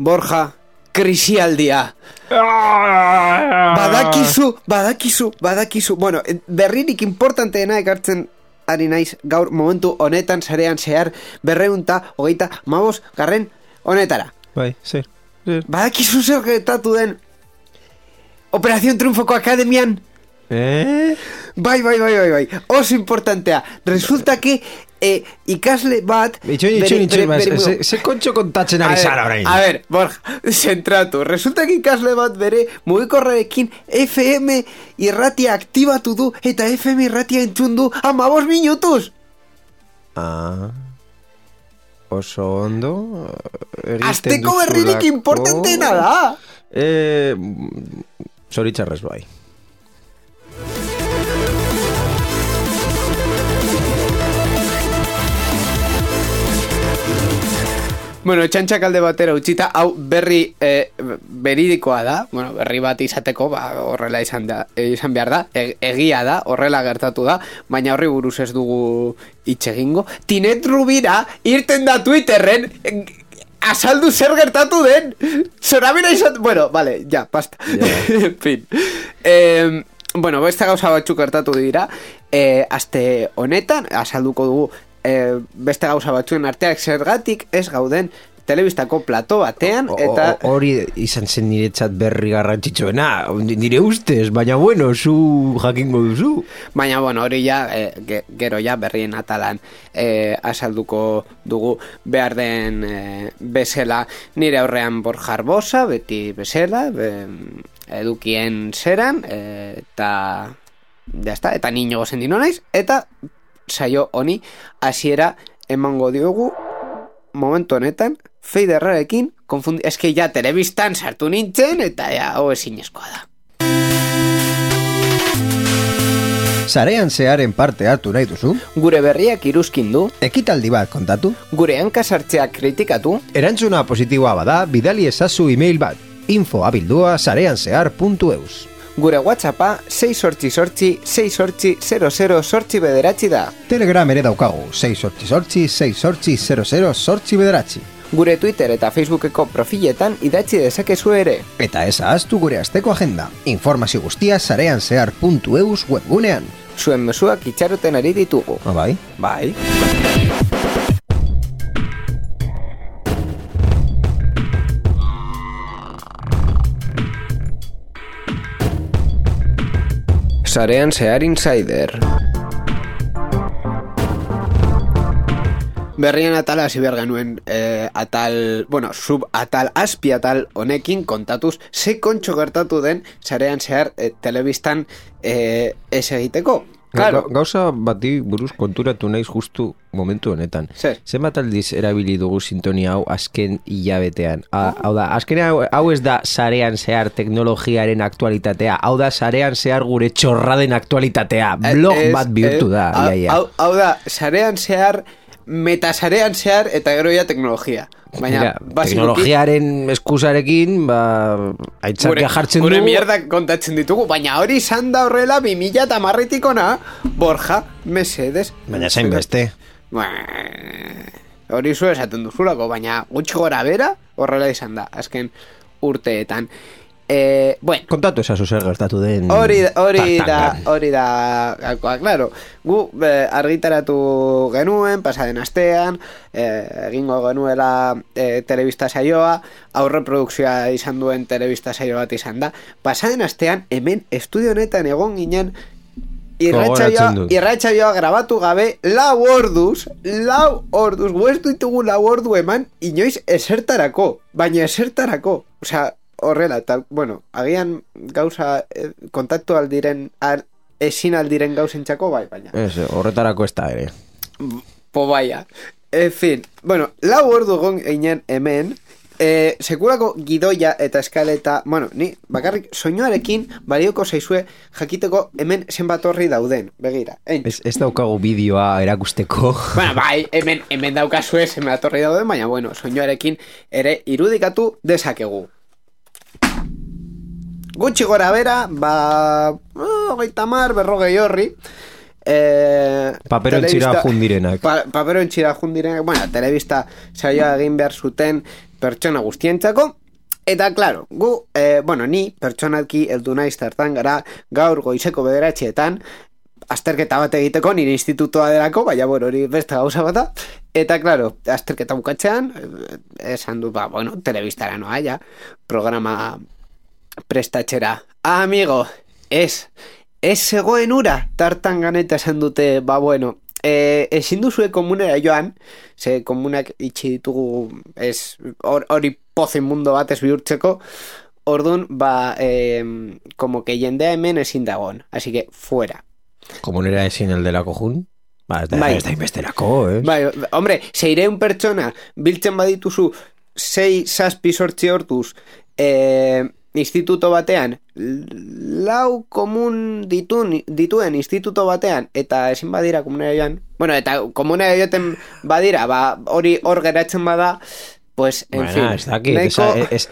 Borja, krisialdia. Badakizu. Bueno, berririk importanteena ekartzen ari naiz gaur momentu honetan sarean zehar 235 honetara. Bai, zer. Badakizu zer gertatu den Operación Triunfoko Akademian? Bai. Oso importantea. Resulta que ikasle bat... Itxoin, ze kontxo kontatzen ari zara orain. A ver, Borja, zentratu. Resulta que ikasle bat bere mugikorrarekin FM irratia aktibatu du eta FM irratia entzun du 15 minutuz. Oso ondo. Azteko berririk importanteena da. Zoritxarrez bai. Bueno, txantxak alde batera utzita, hau berri beridikoa da, bueno, berri bat izateko, horrela izan behar da, egia da, horrela gertatu da, baina horri buruz ez dugu itxegingo. Tinet Rubira irten da Twitterren, azaldu zer gertatu den, zorabera izan... Bueno, vale, ja, basta. Yeah. En fin. Bueno, beste gauza batzuk gertatu dira, aste honetan, azalduko dugu, beste gauza batzuen arteak zergatik ez gauden telebistako plato batean eta... Hori izan zen niretzat berri garrantzitsuena, nire ustez, baina bueno, zu jakingo duzu. Baina bueno, hori ja, gero ja berrien atalan azalduko dugu behar den bezala nire aurrean Borja Arbosa, beti bezala, edukien zeran, eta jazta, eta niño gozendino naiz, eta saio honi hasiera emango diogu momentu honetan Feiderrarekin eske ja telebistan sartu nintzen eta ja ezinezkoa da. Sarean zearen parte hartu nahi duzu? Gure berriak iruzkindu? Ekitaldi bat kontatu? Gure hankasartzeak kritikatu? Erantzuna positiboa bada, bidali ezazu email bat info@sareanzehar.eus. Gure WhatsAppa 688-688-00-bederatzi da. Telegram ere daukagu 688-688-00-bederatzi. Gure Twitter eta Facebookeko profiletan idatzi dezakezu ere. Eta ez ahaztu gure asteko agenda. Informazio guztia sareanzehar.eus webgunean. Zuen mezuak itxaroten ari ditugu. Bai. Bai. Sarean Zehar Insider. Berrien atala hasi behar genuen atal, bueno, subatal, azpi atal honekin kontatuz ze kontxo gertatu den Sarean Zehar telebistan ez egiteko. Claro. Gauza bati buruz konturatu naiz justu momentu honetan. Zenbat aldiz erabili dugu sintonia hau azken hilabetean? Hau da, azken hau ez da Sarean Zehar teknologiaren aktualitatea, hau da Sarean Zehar gure txorraden aktualitatea. Blog bat bihurtu da. Hau da, Sarean Zehar, metasarean zehar eta gero ja teknologia. Baina, teknologiaren eskusarekin, aitzakia jartzen dugu. Gure mierdak kontatzen ditugu, baina hori izan da horrela 2010 ona, Borja, mesedes. Baina zain beste. Hori zu esaten duzulako, baina gutxi gora bera horrela izan da, azken urteetan. Bueno, kontatu esazu zer gertatu den. Hori da, claro, gu argitaratu genuen pasaden astean, egingo genuela telebista saioa, aurreprodukzioa izan duen telebista saio bat izan da. Pasaden astean hemen estudio honetan egon ginen irratsaioa grabatu gabe 4 orduz, gu ez ditugu 4 ordu eman inoiz esertarako, baina esertarako, osea, horrela, eta, bueno, agian gauza kontaktu aldiren ezin aldiren gauzentzako bai, baina horretarako ez da ere po baia, en fin, bueno 4 ordu egon ginen hemen sekulako gidoia eta eskaleta, bueno, ni bakarrik soinuarekin balioko zaizue jakiteko hemen zenbat horri dauden, begira. Ez daukagu bideoa erakusteko. Bueno, bai, hemen daukazue zenbat horri dauden, baina bueno, soinuarekin ere irudikatu dezakegu. Gutxi gora bera, 30, 40 horri. Papero entxira jundirenak. Papero entxira jundirenak, bueno, telebista saioa egin behar zuten pertsona guztientzako. Eta, claro, bueno, ni pertsonalki heldu naiz tartan gara gaur goizeko 9:00 azterketa bat egiteko nire institutoa delako, baina, bueno, hori beste gauza bata. Eta, claro, azterketa bukatzean, esan du, bueno, telebistara noa, ja, programa prestatxera. Amigo, ez zegoen ura tartan ganeta esan dute, bueno, ezin duzue komunera joan, ze komunak itxi ditugu hori pozen mundo bat ez bihurtzeko, orduan, como que jendea hemen ezin dagoen, así que fuera. Komunera ezin eldelako jun? Ez da inbesterako, Bai, hombre, 600 pertsona biltzen badituzu 6-7 hortuz, instituto batean, 4 komun dituen instituto batean, eta ezin badira komunera joan, bueno, eta komunera joten badira, hori hor geratzen bada, pues, en fin. Ez dakit,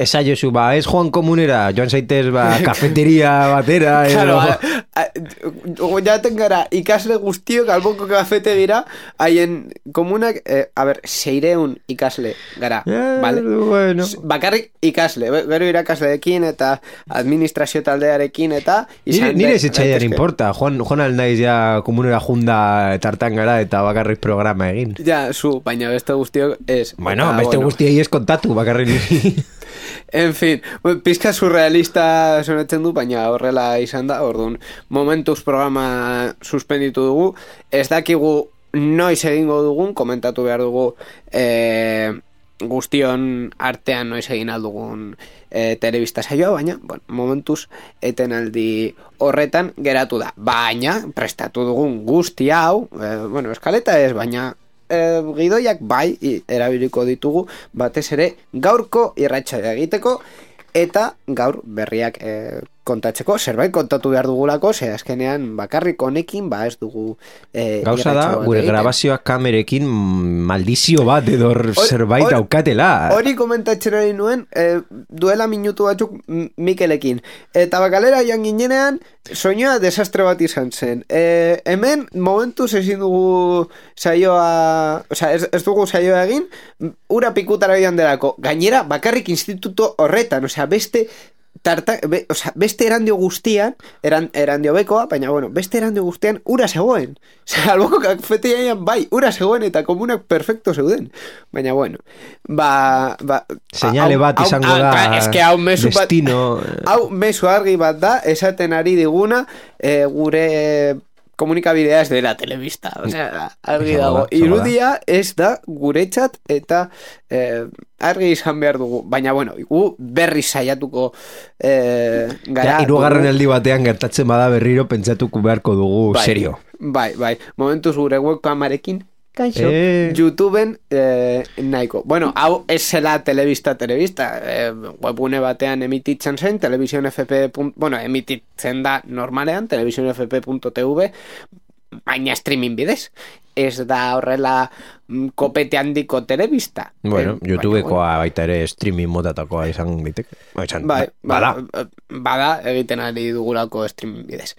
esa jozu, ez joan komunera, joan zaitez, kafeteria batera, claro, jaten gara, ikasle guztiok alboko kafetegira, haien komunak, 600 ikasle gara, vale? Bueno. Bakarrik ikasle, gero irakasleekin eta administrazio taldearekin eta... Nire ez etxaidan importa, joan alnaiz ja komunera junda tartan gara eta bakarrik programa egin. Ja, baina beste guztiok ez. Bueno, beste guztiok ez kontatu, bakarrik. En fin, pizka surrealista sonetzen du, baina horrela izan da, orduan, momentuz programa suspenditu dugu, ez dakigu noiz egingo dugun, komentatu behar dugu guztion artean noiz egin aldugun telebista saioa, baina, bueno, momentuz etenaldi horretan geratu da. Baina, prestatu dugun guzti hau, bueno, eskaleta ez, baina gidoiak bai erabiliko ditugu batez ere gaurko irratsaioa egiteko eta gaur berriak kontatzeko, zerbait kontatu behar dugulako, ze azkenean bakarrik honekin ez dugu gauza da, gure grabazioak kamerekin maldizio bat edo zerbait daukatela. Hori komentatzen ari nuen duela minutu batzuk Mikelekin, eta bakalera joan ginenean soinua desastre bat izan zen. Hemen momentuz ezin dugu saioa, ez dugu saioa egin, ura pikutara joan delako, gainera bakarrik instituto horretan, beste beste erandio guztian erandio bekoa, baina bueno, beste erandio guztian ura zegoen, alboko kafetegian bai, ura zegoen eta komunak perfecto zeuden, baina bueno señale bat izango da destino, hau mezu argi bat da, esaten ari diguna gure komunikabidea ez dela telebista, argi dago, irudia ez da guretzat eta argi izan behar dugu, baina bueno, gu berri saiatuko gara. Hirugarren aldi batean gertatzen bada berriro pentsatuko beharko dugu, serio. Bai, momentuz gure webkamarekin YouTubeen nahiko. Bueno, hau ez zela telebista, webgune batean emititzen zen, televisionfp, bueno, emititzen da normalean, televisionfp.tv, baina streaming bidez. Ez da horrela kopete handiko telebista. Bueno, YouTubekoa baita ere streaming modatakoa izan daiteke. Bada, egiten ari dugulako streaming bidez.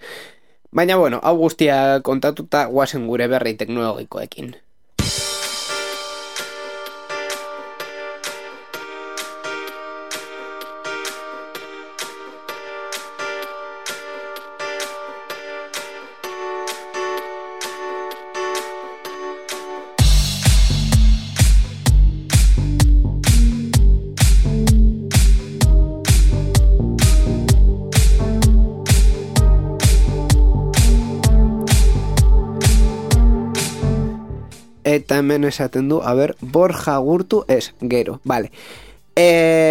Baina, bueno, hau guztia kontatuta guazen gure berri teknologikoekin. Eta hemen esaten du, Borja Gurtu gero, vale.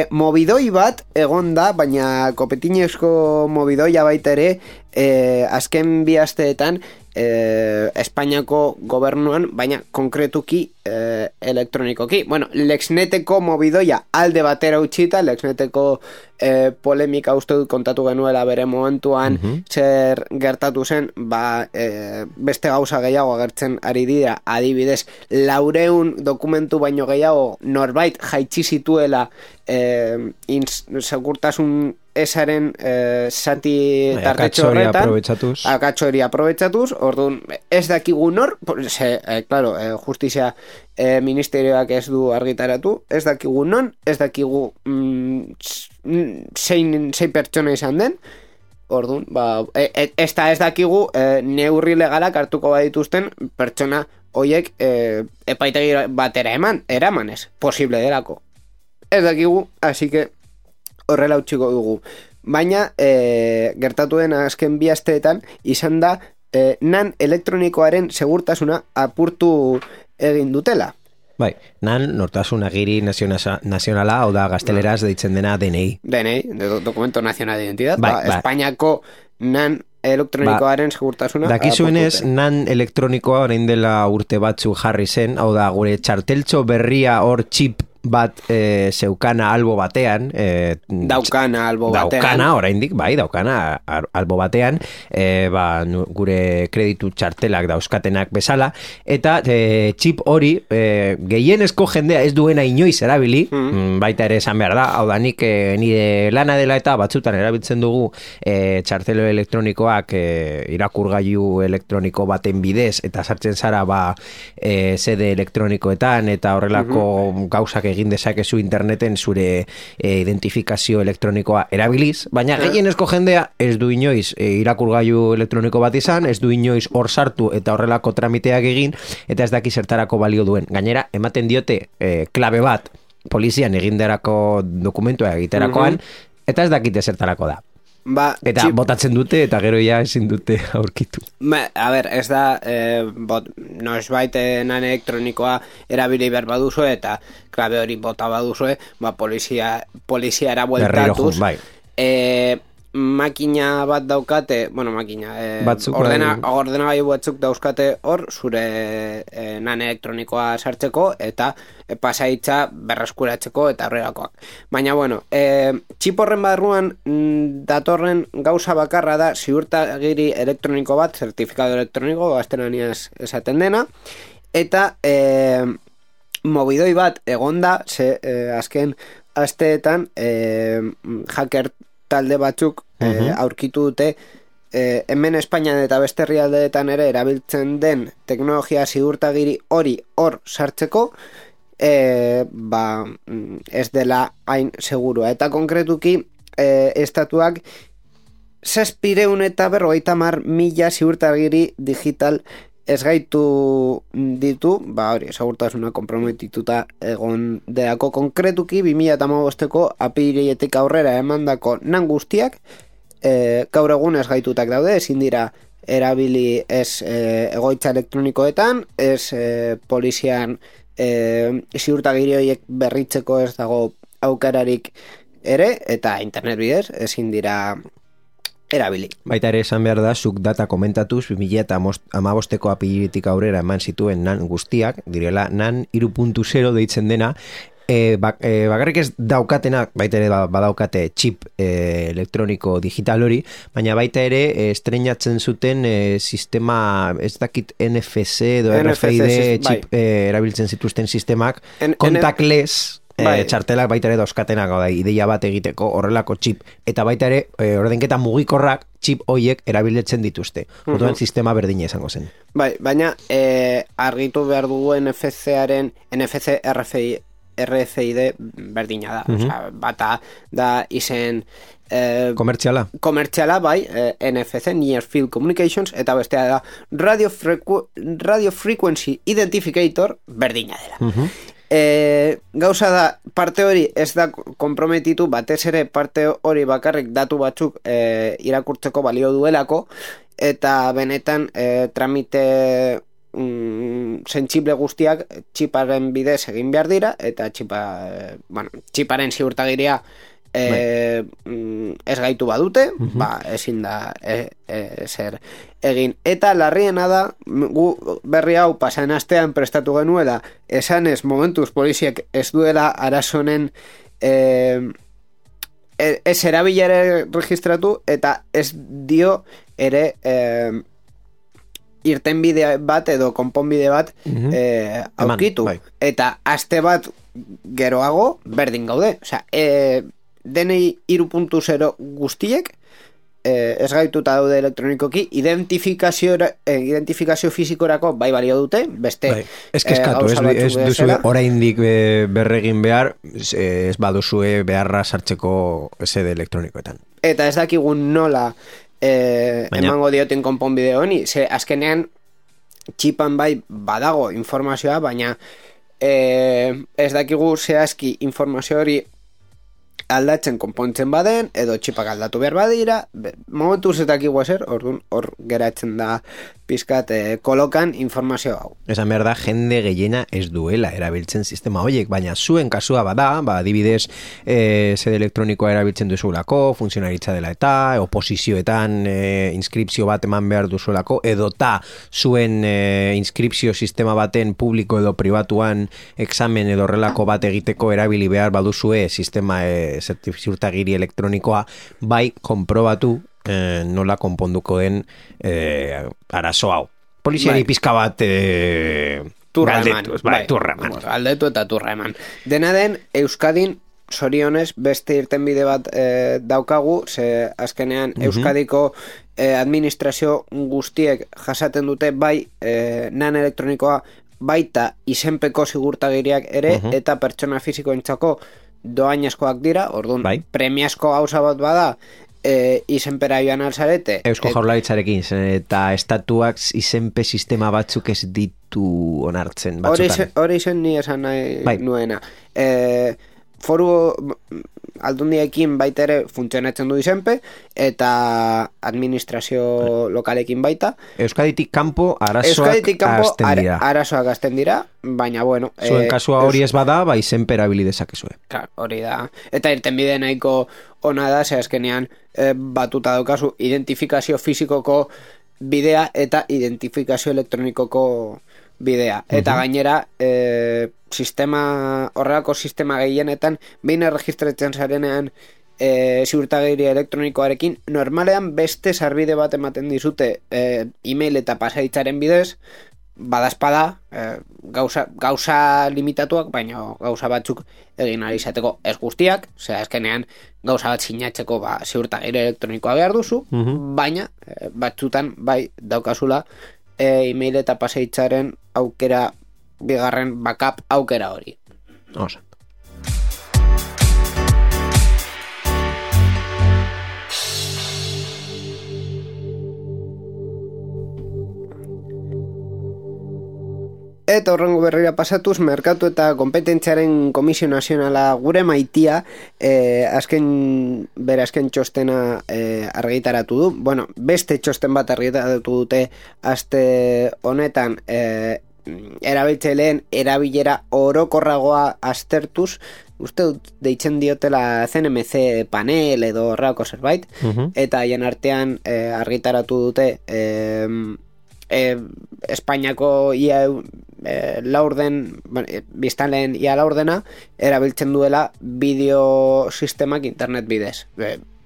Mobidoi bat egon da, baina kopetinezko mobidoia baita ere, azken bi asteetan Espainiako gobernuan, baina konkretuki elektronikoki. Bueno, Lexneteko mobidoia alde batera utxita, Lexneteko polemika uste dut kontatu genuela bere momentuan zer gertatu zen, beste gauza gehiago agertzen ari dira, adibidez 400 dokumentu baino gehiago norbait jaitsi zituela segurtasun esaren zati tartetxo horretan akatxo hori aprobetsatuz, orduan ez dakigu nor, claro, justizia ministerioak ez du argitaratu, ez dakigu non, ez dakigu zein pertsona izan den, orduan, ez dakigu neurri legalak hartuko badituzten pertsona hoiek epaitegi batera eramanez, posible delako. Ez dakigu, así que horrela utxiko dugu. Baina, gertatu den azken bi asteetan, izan da, nan elektronikoaren segurtasuna apurtu egin dutela. Bai, nan nortasun agiri nazionala, hau da gazteleraz deitzen dena DNI. DNI, Documento Nacional de Identidad, Espainiako nan elektronikoaren segurtasuna. Dakizuenez, nan elektronikoa orain dela urte batzu jarri zen, hau da gure txarteltxo berria hor txip bat zeukana albo batean daukana albo batean daukana oraindik, daukana albo batean gure kreditu txartelak dauzkatenak bezala, eta txip hori gehienezko jendea ez duena inoiz erabili, baita ere esan behar da, hau da nik nire lana dela eta batzutan erabiltzen dugu txartelo elektronikoak irakurgailu elektroniko baten bidez, eta sartzen zara sede elektronikoetan eta horrelako gauzak egin dezakezu interneten zure identifikazio elektronikoa erabiliz, baina gehienezko jendea ez du inoiz irakurgailu elektroniko bat izan, ez du inoiz hor sartu eta horrelako tramiteak egin, eta ez daki zertarako balio duen. Gainera, ematen diote klabe bat polizian eginderako dokumentua egiterakoan, eta ez dakite zertarako da. Eta botatzen dute eta gero ja ezin dute aurkitu. A ber, ez da noizbait nan elektronikoa erabili behar baduzue eta klabe hori bota baduzue, poliziara bueltatuz. Makina bat daukate, ordenagailu batzuk dauzkate hor zure nan elektronikoa sartzeko eta pasaitza berreskuratzeko eta horrelakoak. Baina, txip horren barruan datorren gauza bakarra da ziurtagiri elektroniko bat, zertifikado elektroniko, gaztelaniaz esaten dena, eta mobidoi bat egonda, azken asteetan hacker talde batzuk aurkitu dute hemen Espainian eta beste herrialdeetan ere erabiltzen den teknologia ziurtagiri hori hor sartzeko ez dela hain segurua. Eta konkretuki estatuak 650.000 ziurtagiri digital ez gaitu ditu, hori, segurtasuna konprometituta egon deako. Konkretuki 2015ko apiriletik aurrera emandako nan guztiak gaur egun ez gaitutak daude, ezin dira erabili ez egoitza elektronikoetan, ez polizian ziurtagiri horiek berritzeko ez dago aukerarik ere, eta internet bidez ezin dira erabili. Baita ere esan behar da, zuk data komentatuz 2015ko apiriletik aurrera eman zituen nan guztiak, direla nan 3.0 deitzen dena, bakarrik ez daukatenak, baita ere badaukate chip elektroniko digital hori, baina baita ere estrenatzen zuten sistema, ez dakit NFC edo RFID chip erabiltzen zituzten sistemak, contactless txartelak baita ere dauzkatenak, ideia bat egiteko horrelako chip, eta baita ere ordenketa mugikorrak chip hoiek erabiltzen dituzte. Orduan sistema berdina izango zen. Baina argitu behar dugu NFC RFID berdina da. Bata da izen komertziala, NFC, Near Field Communications, eta bestea da Radio Frequency Identificator berdina dela. Gauza da, parte hori ez da konprometitu, batez ere parte hori bakarrik datu batzuk irakurtzeko balio duelako, eta benetan tramite sentsible guztiak txiparen bidez egin behar dira, eta txiparen ziurtagiria ez gaitu badute, ezin da zer egin. Eta larriena da, gu berri hau pasan astean prestatu genuela, esanez momentuz poliziak ez duela arazonen ez erabilare registratu, eta ez dio ere irtenbide bat edo konponbide bat aurkitu. Eta aste bat geroago berdin gaude. Osea, DNI 3.0 guztiek ez gaituta daude elektronikoki, identifikazio fizikorako bai balio dute, beste ez duzu oraindik berregin behar, ez baduzue beharra sartzeko SD elektronikoetan. Eta ez dakigun nola emango dioten konponbide honi, ze azkenean txipan bai badago informazioa, baina ez dakigu zehazki informazio hori aldatzen konpontzen baden, edo txipak aldatu behar badira, momentuz ez dakigu ezer, orduan hor geratzen da pizkat kolokan informazio hau. Esan behar da, jende gehiena ez duela erabiltzen sistema horiek, baina zuen kasua bada, adibidez, sede elektronikoa erabiltzen duzulako, funtzionaritza dela eta, oposizioetan inskripzio bat eman behar duzulako, edota zuen inskripzio sistema baten publiko edo pribatuan examen edo horrelako bat egiteko erabili behar baduzue sistema ziurtagiri elektronikoa, bai konprobatu nola konponduko den arazo hau. Poliziari pizka bat turra eman. Galdetu eta turra eman. Dena den, Euskadin sorionez beste irtenbide bat daukagu, ze azkenean Euskadiko administrazio guztiek jasaten dute bai nan elektronikoa baita izenpeko sigurtagiriak ere, eta pertsona fisikoentzako doainezkoak dira, orduan premiazko gauza bat bada, izenpera joan alzarete. Eusko Jaurlaritzarekin, eta estatuak izenpe sistema batzuk ez ditu onartzen batzutan. Hori zen ni esan nahi nuena. Foru aldundiekin baita ere funtzionatzen du izenpe, eta administrazio lokalekin baita. Euskaditik kanpo arazoak azten dira, baina bueno. Zuen kasua hori ez bada, izenpe erabili dezakezue. Hori da. Eta irtenbide nahiko ona da, ze azkenean batuta daukazu identifikazio fisikoko bidea eta identifikazio elektronikoko bidea. Eta gainera, horrelako sistema gehienetan, behin erregistratzen zarenean ziurtagiri elektronikoarekin, normalean beste sarbide bat ematen dizute e-mail eta pasaditzaren bidez, badazpada, gauza limitatuak, baina gauza batzuk egin ahal izateko ez guztiak, zera azkenean gauza bat sinatzeko ziurtagiri elektronikoa behar duzu, baina batzutan bai daukazula e-mail eta pasaditzaren aukera, bigarren backup aukera hori. Osa. Eta horrengo berrira pasatuz, Merkatu eta Kompetentziaren Komisio Nazionala gure maitia azken txostena argitaratu du. Bueno, beste txosten bat argitaratu dute aste honetan erabiltzaileen erabilera orokorragoa aztertuz, uste dut deitzen diotela CNMC panel edo horrelako zerbait, eta haien artean argitaratu dute Espainiako ia laurden, biztanleen ia laurdena erabiltzen duela bideo sistemak internet bidez,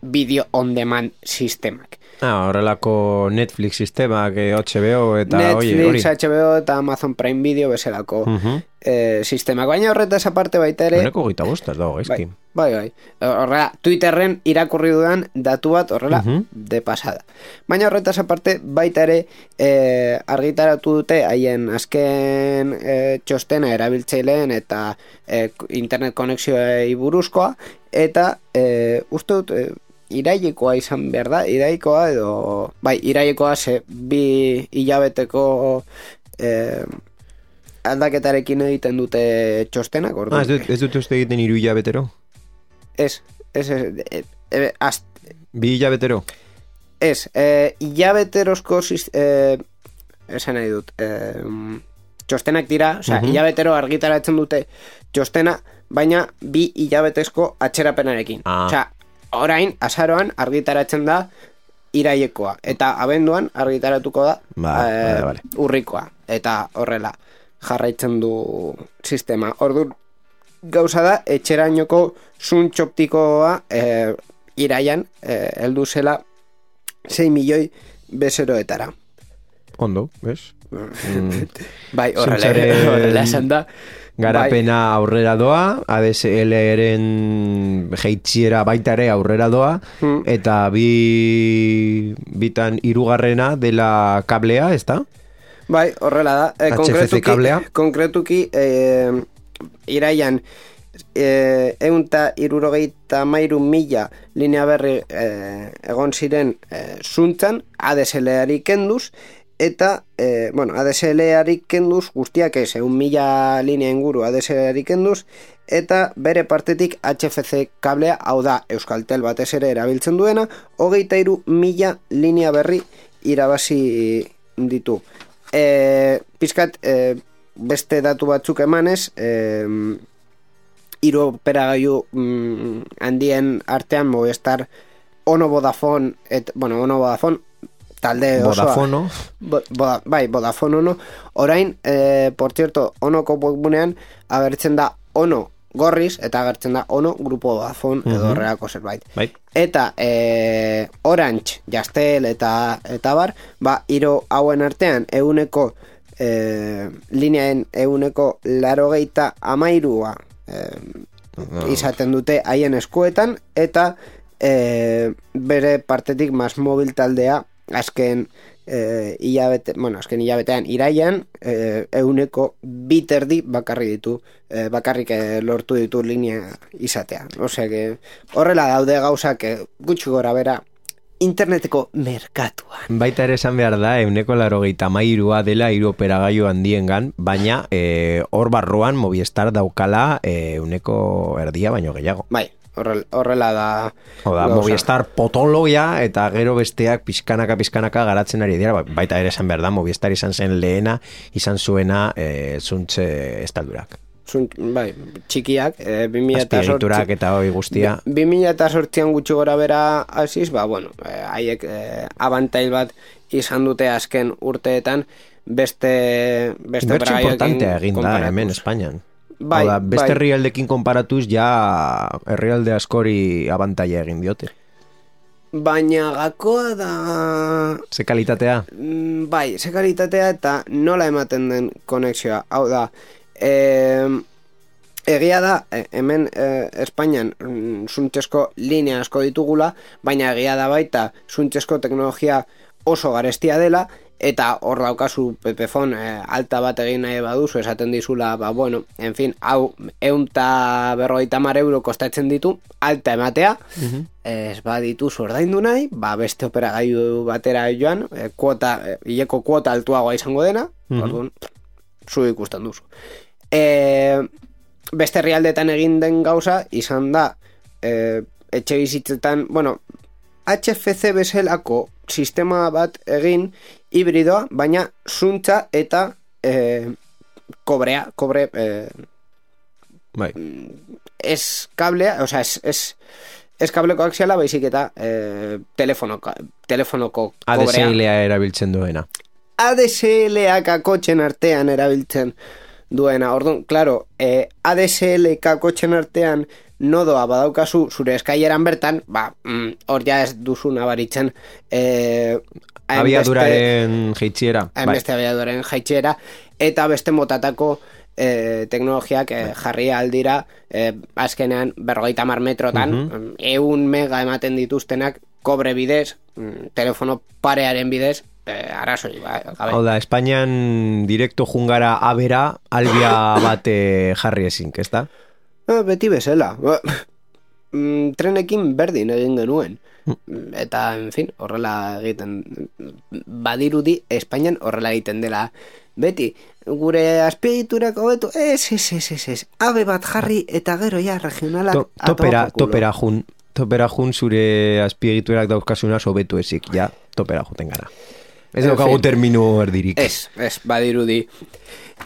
video on demand sistemak. Horrelako Netflix sistemak, HBO eta Netflix, HBO eta Amazon Prime Video bezalako sistemak. Baina horretaz aparte baita ere... Horreko gita bostaz dago, eski. Bai. Horrela, Twitterren irakurri dudan datu bat horrela de pasada. Baina horretaz aparte baita ere argitaratu dute haien azken txostena erabiltzaileen eta internet konexioei buruzkoa, eta uste dut... irailekoa izan behar da, irailekoa ze 2 hilabeteko aldaketarekin egiten dute txostenak. Ez dute uste egiten 3 hilabetero? Ez. 2 hilabetero? Ez, hilabeterozko esan nahi dut txostenak dira, osea, hilabetero argitaratzen dute txostena, baina 2 hilabetezko atxerapenarekin. Osea, orain, azaroan argitaratzen da irailekoa, eta abenduan argitaratuko da urrikoa, eta horrela jarraitzen du sistema. Orduan, gauza da, etxerainoko zuntz optikoa iraian heldu zela 6 milioi bezeroetara. Ondo, bez? Bai, horrela esan da. Garapena aurrera doa, ADSL-eren jeitxiera baita ere aurrera doa, eta bitan hirugarrena dela kablea, ez da? Bai, horrela da. HFC kablea. Konkretuki, iraian, 163.000 linea berri egon ziren zuntzan, ADSL-ari kenduz, eta, ADSL-ari kenduz, guztiak ez, 1.000 linea inguru ADSL-ari kenduz, eta bere partetik HFC kablea, hau da, Euskaltel batez ere erabiltzen duena, 23.000 linea berri irabazi ditu. Pizkat, beste datu batzuk emanez, hiru operagailu handien artean Movistar, Ono Vodafone, Ono Vodafone, talde osoa. Vodafone Ono. Orain, por cierto, Onoko webgunean agertzen da Ono gorriz, eta agertzen da Ono Grupo Vodafone edo horrelako zerbait. Eta Orange, Jastel eta bar, hiru hauen artean euneko lineaen euneko 83 izaten dute haien eskuetan, eta bere partetik MásMóvil taldea azken hilabetean iraian euneko 2 bakarrik lortu ditu linea izatea. Osea, horrela daude gauzak gutxi gora bera interneteko merkatuan. Baita ere esan behar da, euneko 83 dela hiru operagailu handiengan, baina hor barruan Movistar daukala euneko erdia baino gehiago. Bai, horrela da. Movistar potoloia eta gero besteak pizkanaka garatzen ari dira. Baita ere esan behar da, Movistar izan zen lehena, izan zuena zuntze estaldurak. Bai, txikiak, azpiegiturak eta hoi guztia. 2008an gutxi gora bera hasiz, haiek abantail bat izan dute azken urteetan beste bertxe importantea egin da hemen Espainian. Beste herrialdekin konparatuz ja herrialde askori abantaila egin diote. Baina gakoa da... Ze kalitatea? Bai, ze kalitatea eta nola ematen den konexioa. Hau da, egia da, hemen Espainian zuntzesko linea asko ditugula, baina egia da baita zuntzesko teknologia oso garestia dela, eta hor daukazu Pepefon alta bat egin nahi baduzu, esaten dizula, en fin, hau 150 euro kostatzen ditu, alta ematea, ez baditu ordaindu nahi, beste operagailu batera joan, hileko kuota altuagoa izango dena, orduan, zu ikusten duzu. Beste herrialdetan egin den gauza, izan da, etxe bizitzetan, HFC bezalako sistema bat egin hibridoa, baina zuntza eta kobre ez kablea, osea, ez kableko axiala, baizik eta telefonoko kobrea. ADSL-a erabiltzen duena. ADSL-a kotxen artean erabiltzen duena. Orduan, claro, ADSL-a kotxen artean nodoa badaukazu zure eskaileran bertan, hor ja ez duzu nabaritzen abiaduraren jaitxiera. Beste abiaduraren jaitxiera, eta beste motatako teknologiak jarri aldira azkenean 50 metrotan 100 mega ematen dituztenak kobre bidez, telefono parearen bidez, arazoi. Hau da, Espainian direkto jungara abera albia bat jarri ezink, ez da? Beti bezala. Trenekin berdin egin genuen. Eta, en fin, horrela egiten badirudi, Espainian horrela egiten dela. Beti, gure azpiegiturak hobetu, ez, abe bat jarri eta gero ja regionalak topera jun zure azpiegiturak dauzkasuna hobetu ezik, ja, topera juten gara. Ez daukagu termino erdirik. Ez, badirudi.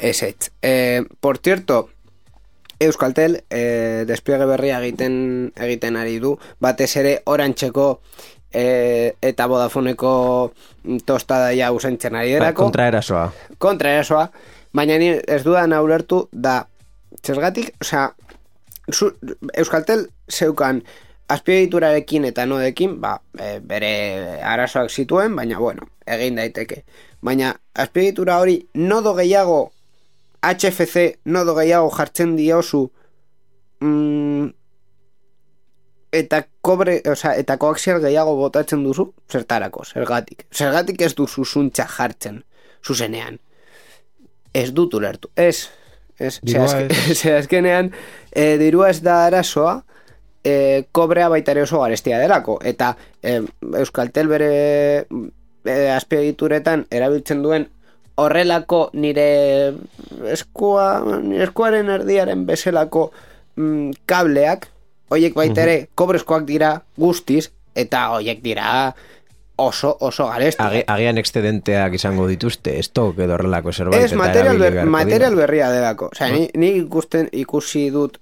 Ez. Por cierto, Euskaltel despliegue berria egiten ari du, batez ere Orantxeko eta Vodafoneko tostada ja usentzen ari derako. Kontraerasoa. Baina ni ez dudan ulertu da, zergatik, osea, Euskaltel zeukan azpiegiturarekin eta nodekin, bere arazoak zituen, baina bueno, egin daiteke. Baina azpiegitura hori nodo gehiago HFC nodo gehiago jartzen diozu eta eta koaxial gehiago botatzen duzu, zertarako, zergatik ez duzu zuntza jartzen zuzenean. Ez dut ulertu. Azkenean dirua ez da arazoa, kobrea baitare oso garestia delako, eta Euskaltel bere azpiegituretan erabiltzen duen horrelako nire eskuaren erdiaren bezalako kableak, hoiek baitare kobrezkoak dira guztiz, eta hoiek dira oso garesti. Agian excedenteak izango dituzte, estok edo horrelako zerbait. Ez, material berria delako. Osea, ni ikusi dut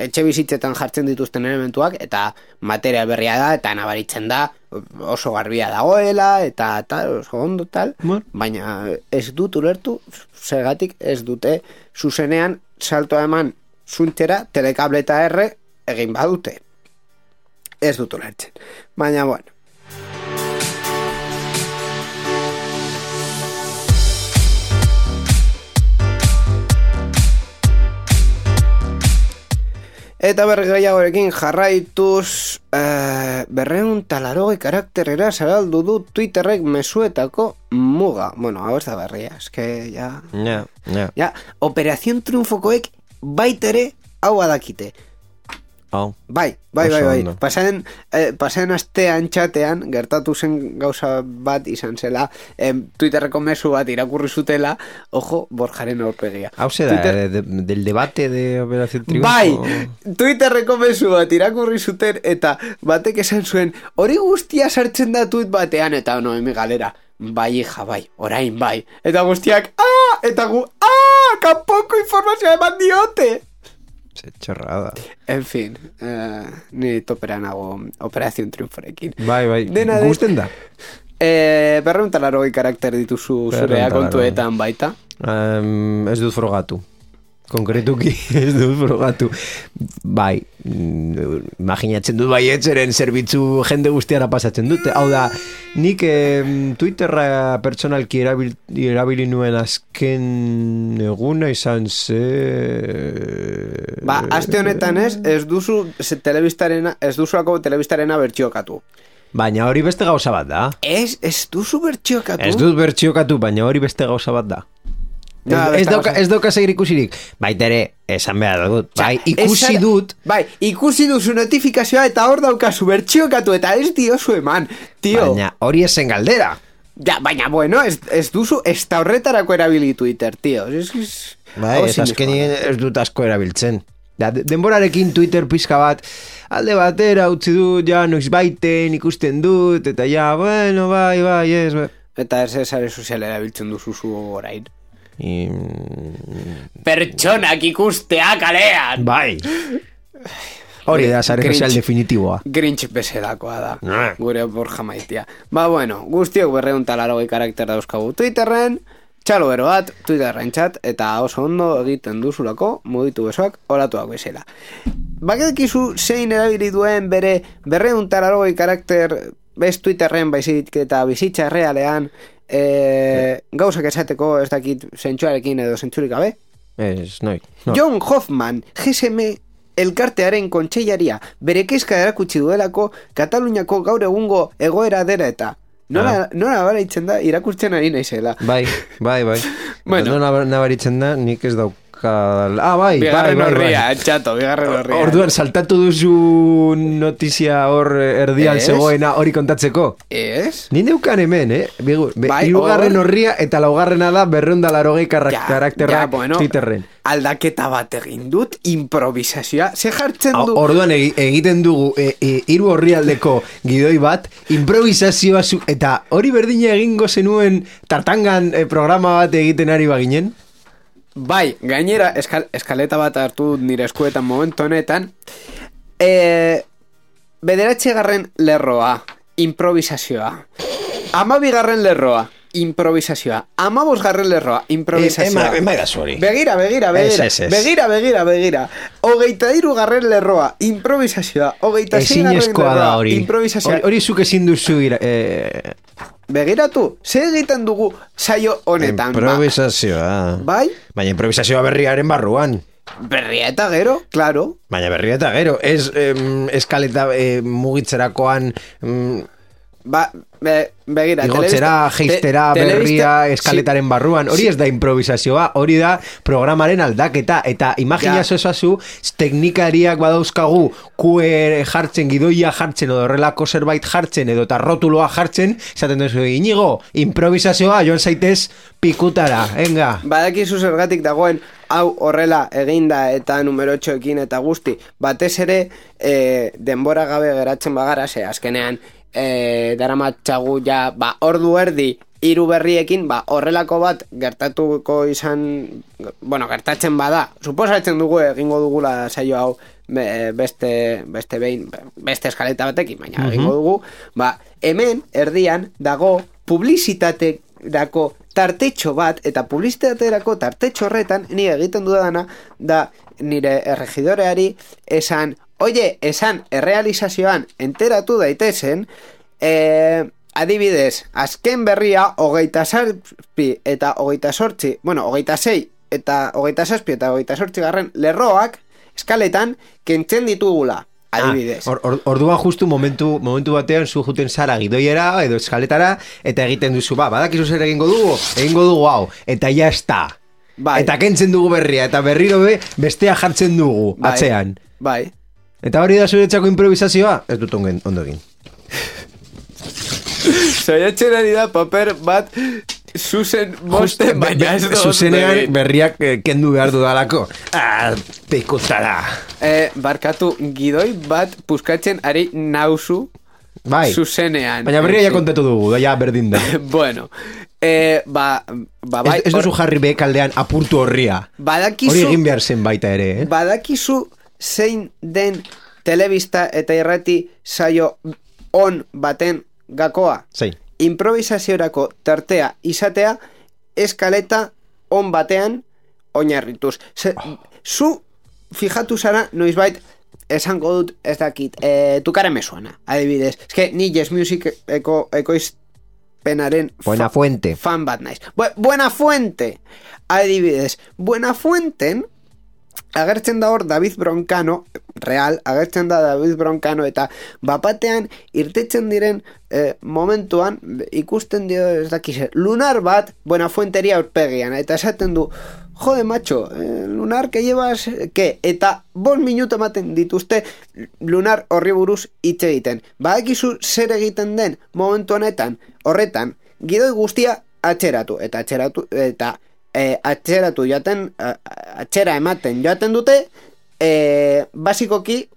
etxe bizitzetan jartzen dituzten elementuak, eta material berria da, eta nabaritzen da, oso garbia dagoela, eta tal, oso ondo tal, baina ez dut ulertu, zergatik ez dute zuzenean saltoa eman zuntzera, telekable eta R egin badute. Ez dut ulertzen. Baina, bueno. Eta bergaiagorekin jarraituz 280 karakterera zabaldu du Twitterrek mezuetako muga. Bueno, hau ez da berria, eske ja... Ja, Operación Triunfokoek baitere hau adakite. Bai. Pasen astean txatean gertatu zen gauza bat izan zela, Twitterreko mezu bat irakurri zutela, ojo, Borjaren aurpegia. Hau ze da, del debate de Operación Triunfo? Bai, Twitterreko mezu bat irakurri zuten, eta batek esan zuen, hori guztia sartzen da tuit batean, eta Noemi galera, bai, hija, bai, orain bai. Eta guztiak, eta gu, kanpoko informazioa eman diote. Se chorrada. En fin, ni topera nago Operación Triunforekin. Bai, gusten da. 280 karakter dituzu zurea kontuetan baita. Ez dut frogatu. Konkretuki ez dut frogatu. Bai, imaginatzen dut bai etxeren zerbitzu jende guztiara pasatzen dute. Hau da, nik Twitterra pertsonalki erabili nuen azken eguna izan ze... aste honetan ez duzu telebistarena bertxiokatu. Baina hori beste gauza bat da. Ez duzu bertxiokatu? Ez dut bertxiokatu, baina hori beste gauza bat da. Ez dauka segir ikusirik. Baita ere, esan behar dut. Bai, ikusi dut. Bai, ikusi duzu notifikazioa eta hor daukazu bertxiokatu eta ez diozu eman, tio. Baina hori esen galdera. Ja, baina bueno, ez duzu ez da horretarako erabili Twitter, tio. Bai, ez azkenien ez dut asko erabiltzen. Denborarekin Twitter pizka bat alde batera utzi dut, ja, noiz baiten ikusten dut, eta ja, bueno, bai, ez. Eta ez sare sozial erabiltzen duzu zu orain. Pertsonak ikustea kalean. Bai. Hori da sare sozial definitiboa. Grinch bezalakoa da. Gure Borja maitia. Bueno, guztiok 280 karakter dauzkagu Twitterren, txalo bero bat, Twitterren txat, eta oso ondo egiten duzulako, mugitu besoak, olatuak bezala. Bakizu zein erabili duen bere 280 karakter bez Twitterren baizik eta bizitza realean gauzak esateko ez dakit zentsuarekin edo zentsurik gabe? No. John Hoffman, GSM elkartearen kontseilaria, bere kezka erakutsi duelako Kataluniako gaur egungo egoera dela eta nola nabaritzen da irakurtzen ari naizela. Bai. Bueno. Nola nabaritzen da nik ez Euskal... bai. Bigarren horria, txato, bigarren horria. Orduan, saltatu duzu notizia hor erdian zegoena hori kontatzeko? Ez? Ni neukan hemen, Hirugarren horria eta laugarrena da 280 karakterrak Twitterren. Aldaketa bat egin dut, improvisazioa, ze jartzen du... Orduan egiten dugu hiru horrialdeko gidoi bat, improvisazioa eta hori berdina egingo zenuen tartangan programa bat egiten ari baginen? Bai, gainera, eskaleta bat hartu nire eskuetan momentu honetan, 9. lerroa, improvisazioa. 12. lerroa, improvisazioa. 15. lerroa, improvisazioa. Begira. 23. lerroa, improvisazioa. 26. lerroa, improvisazioa. Hori zuk ezin duzu Begiratu, ze egiten dugu saio honetan. Improvisazioa. Bai? Baina improvisazioa berriaren barruan. Berria eta gero, claro. Baina berria eta gero, ez eskaleta mugitzerakoan... Begira, igotzera, geistera, berria, eskaletaren barruan. Hori ez da improvisazioa, hori da programaren aldaketa. Eta imaginazio esazu, teknikariak badauzkagu QR jartzen, gidoia jartzen, edo horrelako zerbait jartzen, edo tarrotuloa jartzen, esaten duzu, Inigo, improvisazioa, joan zaitez pikutara, venga. Badakizu zergatik dagoen, hau horrela eginda eta numero 8ekin eta guzti. Batez ere, denbora gabe geratzen bagara, ze azkenean, daramatxagu ja, ordu erdi hiru berriekin, horrelako bat gertatuko izan, gertatzen bada, suposatzen dugu egingo dugula saio hau beste eskaleta batekin, baina egingo dugu, hemen erdian dago publizitaterako tartetxo bat, eta publizitaterako tartetxo horretan ni egiten dudana da nire erregidoreari esan errealizazioan enteratu daitezen, adibidez, azken berria 27 eta 28, 26 eta 27 eta 28 garren lerroak eskaletan kentzen ditugula, adibidez. Orduan justu momentu batean zu juten zara gidoiera edo eskaletara eta egiten duzu, badakizu zer egingo dugu hau, eta ja esta. Eta kentzen dugu berria, eta berriro bestea jartzen dugu, atzean. Bai. Eta hori da zuretzako improvisazioa? Ez dut ondo egin. Saiatzen ari da paper bat zuzen mosten, baina ez dut. Zuzenean berriak kendu behar dudalako. Pikutara. Barkatu, gidoi bat puskatzen ari nauzu zuzenean. Baina berria ja kontatu dugu, ja berdin da. Bueno, bai. Ez duzu jarri bekaldean apurtu horria. Hori egin behar zen baita ere, Badakizu zein den telebista eta irrati saio on baten gakoa. Zein. Improvisaziorako tartea izatea eskaleta on batean oinarrituz. Zu fijatu zara noizbait esango dut ez dakit, tukara me suena, adibidez. Ez que ni Yes Music ekoizpenaren fan bat naiz. Buenafuente, adibidez. Buenafuenten agertzen da hor David Broncano, agertzen da David Broncano, eta bapatean irtetzen diren momentuan ikusten dio ez dakize, lunar bat Buenafuenteria aurpegian, eta esaten du, jode macho, lunar que llevas, que? Eta 5 minutu ematen dituzte lunar horri buruz hitz egiten. Badakizu zer egiten den momentu honetan, horretan, gidoi guztia atxeratu atxera ematen joaten dute, basikoki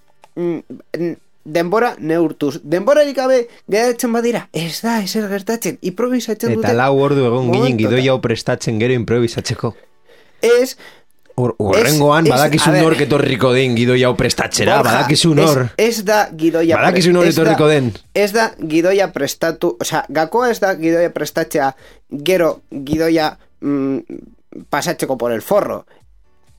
denbora neurtuz. Denborarik gabe geratzen badira, ez da, ezer gertatzen, improvisatzen dute. Eta 4 ordu egon ginen gidoi hau prestatzen gero improvisatzeko. Ez... Horrengoan, badakizu nor etorriko den gidoia hau prestatzera, badakizu nor. Ez da gidoia... Badakizu nor etorriko den. Ez da gidoia prestatu... Osea, gakoa ez da gidoia prestatzea, gero gidoia pasatzeko por el forro.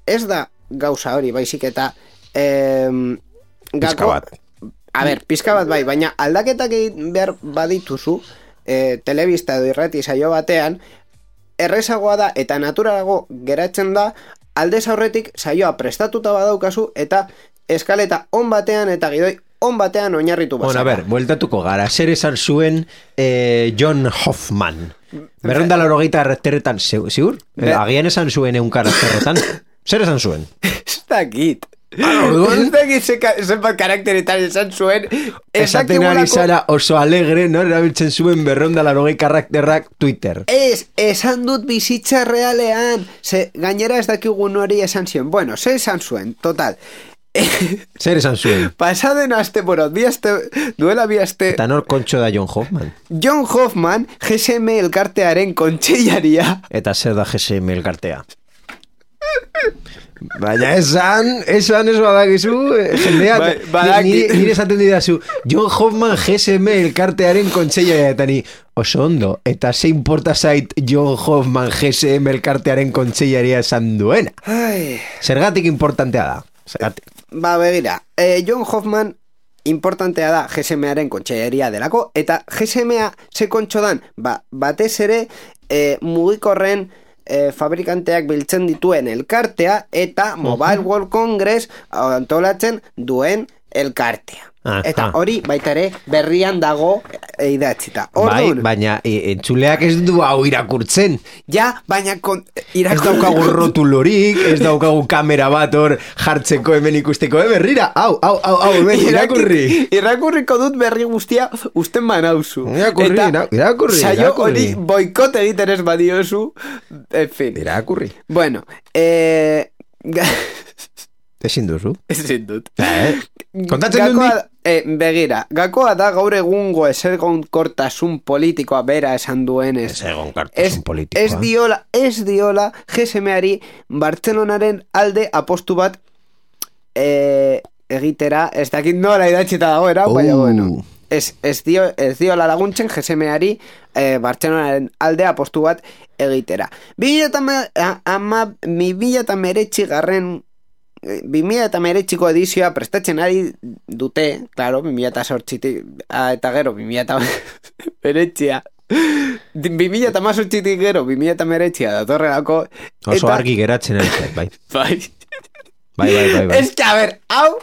Ez da gauza hori, baizik eta... Pizka bat. A ber, pizka bat bai, baina aldaketak egin behar badituzu, telebista edo irrati saio batean, errezagoa da eta naturalago geratzen da, aldez aurretik saioa prestatuta badaukazu eta eskaleta on batean eta gidoi on batean oinarritu bazara. Bueno, a ber, bueltatuko gara. Zer esan zuen John Hoffman. 280 karakteretan, ziur? Agian esan zuen 100 karakteretan. Zer esan zuen? Ez dakit. Ez dakit zenbat karakteretan esan zuen. Esaten ari zara oso alegre, no? Erabiltzen zuen 280 karakterrak Twitter. Esan dut bizitza realean. Gainera ez dakigun hori esan zion. Bueno, ze esan zuen, total. Zer esan zuen? Pasaden aste, bueno, duela bi aste... Eta nor kontxo da John Hoffman? John Hoffman, GSM elkartearen kontseilaria. Eta zer da GSM elkartea? Baina esan ez badakizu, jendea, nire esaten didazu, John Hoffman GSM elkartearen kontseilaria, eta ni, oso ondo, eta ze importa zait John Hoffman GSM elkartearen kontseilaria esan duena? Zergatik importantea da? Zergatik? Begira, John Hoffman importantea da GSMaren kontseilaria delako, eta GSMa ze kontxo dan, batez ere mugikorren fabrikanteak biltzen dituen elkartea eta Mobile World Congress antolatzen duen elkartea. Eta hori baita ere berrian dago idatzita. Bai, baina entzuleak ez du hau irakurtzen. Ja, baina ez daukagu rotulorik, ez daukagu kamera bat hor jartzeko hemen ikusteko, berrira, hau, hemen irakurri. Irakurriko dut berri guztia usten banauzu. Irakurri. Saio hori boikot egiten ez badiozu, en fin. Irakurri. Bueno, Ezin duzu? Ezin dut. Kontatzen dut nik? Begira, gakoa da gaur egungo ezegonkortasun politikoa bera esan duenez. Ezegonkortasun politikoa. Ez diola GSMari Bartzelonaren alde apostu bat egitera, ez dakit nola idatxeta dagoera, baina bueno. Ez diola laguntzen GSMari Bartzelonaren alde apostu bat egitera. 2019ko edizioa prestatzen ari dute, claro, 2008 eta gero 2008 2008 gero 2008 datorrelako oso argi geratzen ari bai. Bai. Ez que, a ver, hau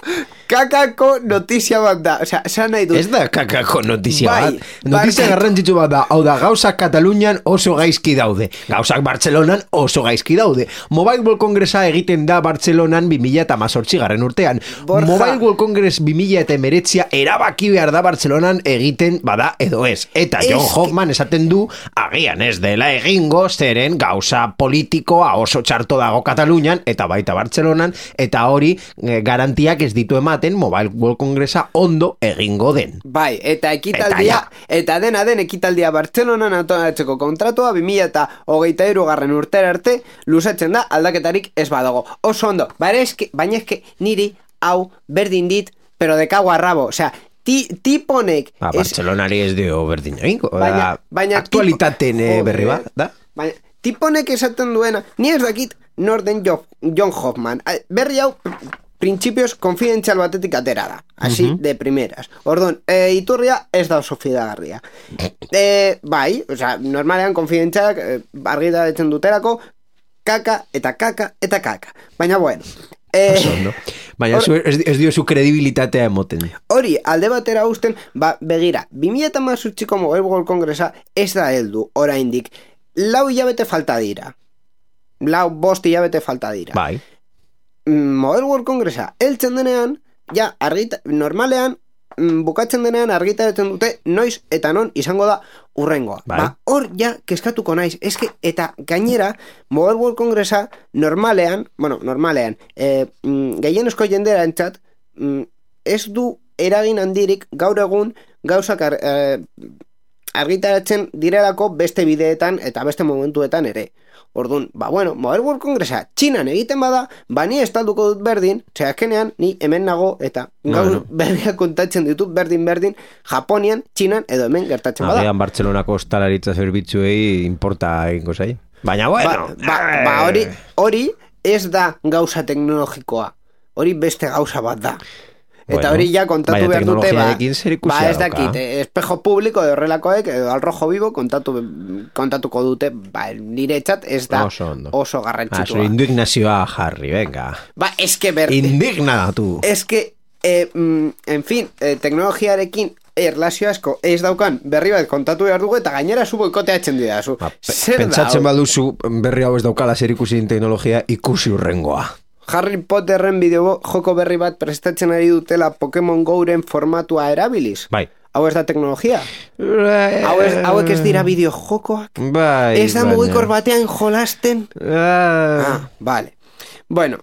kakako notizia bat da. O sea, esan nahi dut. Ez da kakako notizia bat. Notizia garrantzitsu bat da. Hau da, gauzak Katalunian oso gaizki daude. Gauzak Bartzelonan oso gaizki daude. Mobile World Congressa egiten da Bartzelonan 2018 garren urtean. Mobile World Congress 2019 erabaki behar da Bartzelonan egiten bada edo ez. Eta John Hoffman esaten du, agian ez dela egingo zeren gauza politikoa oso txarto dago Katalunian eta baita Bartzelonan, eta hori garantiak ez ditu ematen Mobile World Congressa ondo egingo den. Bai, eta ekitaldia, eta dena den ekitaldia Bartzelonan antolatzeko kontratua 2023 garren urtera arte luzatzen da aldaketarik ez badago. Oso ondo, baina eske niri hau berdin dit, pero de cago a rabo, o sea, tiponek... Bartzelonari ez dio berdin egingo, aktualitaten berri bat, da? Baina, tiponek esaten duena, ni ez dakit norden John Hoffman. Berri hau, principios konfidentzial batetik atera da. Así, de primeras. Orduan, iturria ez da oso fidagarria. Bai, o sea, normalean konfidentzialak argitaratzen duterako kaka. Baina, bueno. Baina ez dio zu kredibilitatea emoten. Hori, alde batera usten, begira, 2018ko Mobile World Congressa ez da heldu, oraindik. 4 hilabete falta dira. 5 hilabete falta dira. Bai. Mobile World Congressa heltzen denean, ja, normalean, bukatzen denean argitaratzen dute noiz eta non izango da urrengoa. Bai. Hor ja kezkatuko naiz. Eta gainera, Mobile World Congressa normalean, gehienezko jendera entzat, ez du eragin handirik gaur egun gauzak argitaratzen direlako beste bideetan eta beste momentuetan ere. Orduan, Mobile World Congressa Txinan egiten bada, ni estalduko dut berdin, azkenean ni hemen nago eta gaur berriak kontatzen ditut berdin, Japonian, Txinan edo hemen gertatzen bada. Agian Bartzelonako ostalaritza zerbitzuei importa egingo zai. Baina hori ez da gauza teknologikoa. Hori beste gauza bat da. Eta hori ja kontatu behar dute, ez dakit, espejo publiko de horrelakoek, edo al rojo vivo kontatuko dute, nire txat ez da oso garrantzitsua. Indignazioa jarri, venga. Eske berde. Indignatu. Eske, en fin, teknologiarekin erlazio asko ez daukan berri bat kontatu behar dugu eta gainera zu boikoteatzen didazu. Pentsatzen baduzu berri hau ez daukala zer ikusi teknologia ikusi urrengoa. Harry Potterren bideo joko berri bat prestatzen ari dutela Pokemon Go'ren formatua erabiliz. Bai. Hau ez da teknologia. Hauek ez dira bideojokoak. Bai. Ez da mugikor batean jolasten. Vale. Bueno,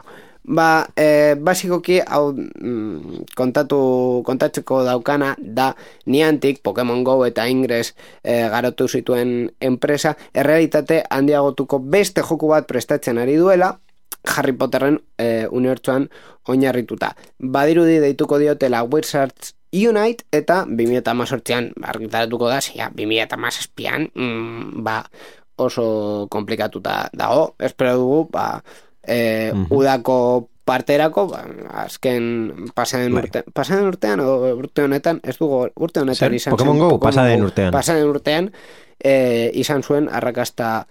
basikoki hau kontatzeko daukana da Niantic, Pokemon Go eta Ingress garatu zituen enpresa, errealitate handiagotuko beste joku bat prestatzen ari duela, Harry Potterren unibertsuan oinarrituta. Badirudi deituko diotela Wizards Unite eta 2018an argitaratuko da, 2017an oso komplikatuta dago. Espero dugu, udako parterako, azken pasaden urtean, urte honetan, ez dugu urte honetan izan Pokemon Go, pasaden urtean izan zuen arrakasta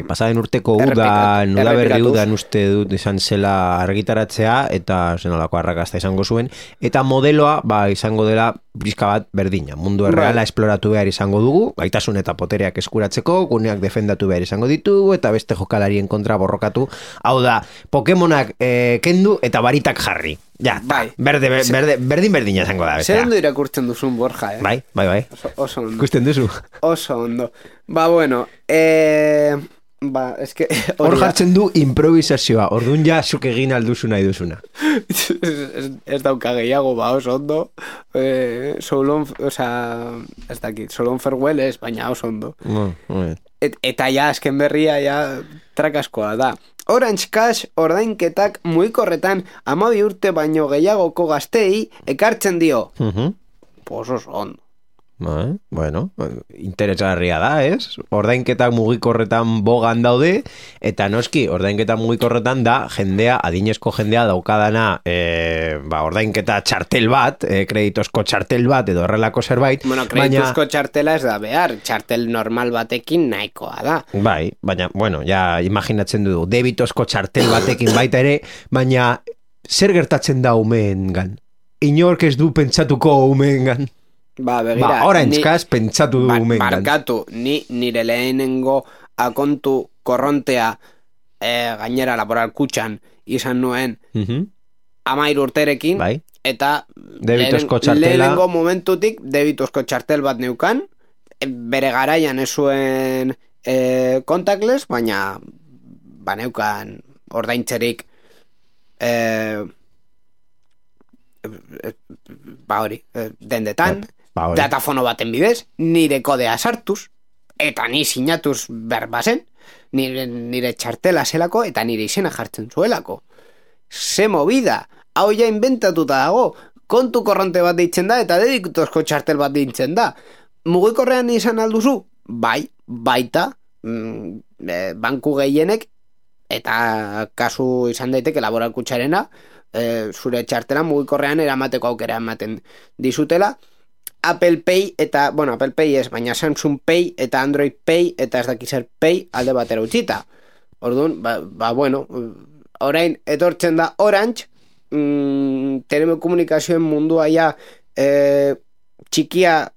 pasaden urteko uda berri udan uste dut izan zela argitaratzea eta zenolako arrakasta izango zuen eta modeloa izango dela pixka bat berdina, mundu erreala esploratu behar izango dugu, gaitasun eta potereak eskuratzeko, guneak defendatu behar izango ditugu eta beste jokalarien kontra borrokatu, hau da Pokemonak kendu eta baritak jarri. Ja, berdina izango da. Zer ondo irakurtzen duzun, Borja, Bai. Oso ondo. Ikusten duzu. Oso ondo. Bueno, eske... Hor jartzen du improvisazioa, orduan ja zuk egin alduzu nahi duzuna. Ez dauka gehiago, oso ondo. Solon farewell ez, baina oso ondo. Eta ja, azken berria, trakaskoa da. Orange Cash ordainketak mugikorretan 12 urte baino gehiagoko gaztei ekartzen dio. Oso ondo. Bueno, interesgarria da, ez? Ordainketak mugikorretan bogan daude, eta noski, ordainketak mugikorretan da jendea, adinezko jendea daukadana ordainketa txartel bat, kreditozko txartel bat, edo horrelako zerbait. Bueno, kreditozko txartela ez da behar, txartel normal batekin nahikoa da. Bai, baina, bueno, ja imaginatzen du, debitozko txartel batekin baita ere, baina zer gertatzen da umeengan? Inork ez du pentsatuko umeengan? Begira, Orange Cash pentsatu du umengan. Barkatu, nire lehenengo akontu korrontea gainera laboral kutxan izan nuen 13 urterekin, eta lehenengo momentutik debitozko txartel bat neukan, bere garaian ez zuen contactless, baina neukan ordaintzerik dendetan, datafono baten bidez, nire kodea sartuz, eta ni sinatuz berbazen, nire txartela zelako, eta nire izena jartzen zuelako. Ze movida, hau ja inventatuta dago, kontu korronte bat deitzen da, eta dedikutozko txartel bat deitzen da. Mugikorrean izan alduzu? Baita, banku gehienek, eta kasu izan daiteke laboral kutxarena, zure txartela mugikorrean eramateko aukera ematen dizutela. Apple Pay eta, Apple Pay ez, baina Samsung Pay eta Android Pay eta ez dakizer Pay alde batera utzita. Orduan, orain etortzen da Orange, telekomunikazioen mundua ja txikia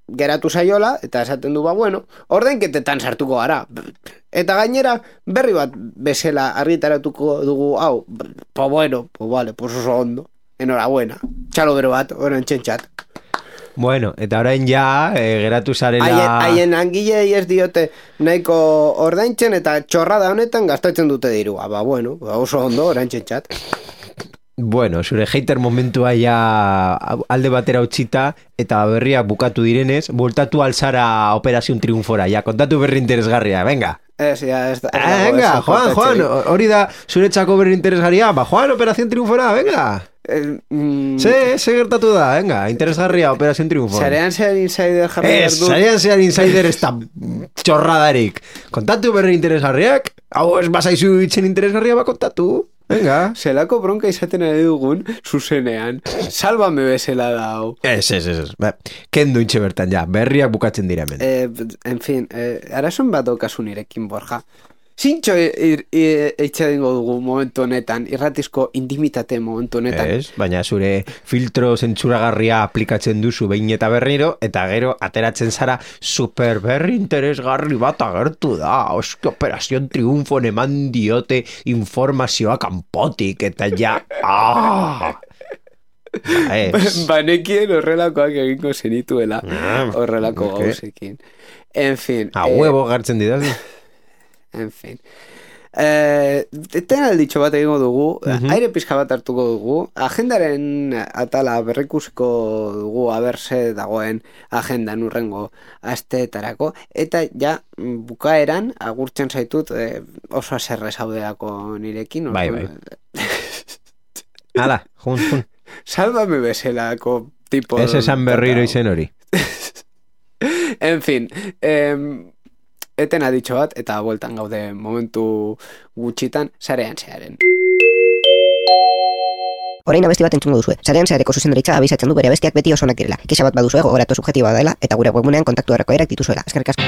geratu zaiola, eta esaten du, ordainketetan sartuko gara. Eta gainera, berri bat bezala argitaratuko dugu, hau, oso ondo. Enhorabuena. Txalo bero bat, oran txentxat. Bueno, eta orain ja, geratu zarela... Haien angilei ez diote nahiko ordaintzen eta txorrada honetan gastatzen dute dirua. Oso ondo, oran txentxat. Bueno, zure hater momentua ja alde batera utzita eta berriak bukatu direnez, voltatu alzara Operación Triunfora, ja, kontatu berri interesgarria, venga. Venga, Juan, hori da zuretzako berri interesgarria, Juan, Operación Triunfora, venga. Se gertatu da, venga, interesgarria Operación Triunfora. Sarean zean insider jarri berdu. Sarean zean insider ez da txorradarik. Kontatu berri interesgarriak, hau ez basaizu itzen interesgarria kontatu. Venga. Zelako bronka izaten ari dugun zuzenean. Salvame bezala da hau. Ez. Kendu intxe bertan ja, berriak bukatzen dira hemen. En fin, arazoen bat daukazu nirekin, Borja. Zintxo eitxedingo dugu momentu honetan, irratizko intimitate momentu honetan. Baina zure filtro zentsuragarria aplikatzen duzu behin eta berriro, eta gero ateratzen zara super berri interesgarri bat agertu da. Oski operazion triunfon eman diote informazioa kanpotik, eta ja... Banekien horrelakoak egingo zenituela, horrelako gauzekin. En fin. Huevo gartzen didazu. En fin. Tena alditxo bat egingo dugu, aire pizka bat hartuko dugu, agendaren atala berrikusiko dugu aberse dagoen agendan urrengo asteetarako, eta ja bukaeran agurtzen zaitut oso aserre zaudeako nirekin. Bai. Hala, jun. Sálvame beselako tipo. Ez esan berriro izen hori. En fin, eten aditxo bat, eta bueltan gaude momentu gutxitan, sarean zearen. Orain abesti bat entzungo duzue. Sarean zeareko zuzendaritza abisatzen du bere abestiak beti oso onak direla. Kexa bat baduzue gogoratu subjektiboa dela, eta gure webgunean kontaktu erreko erak dituzuela. Eskerrik asko.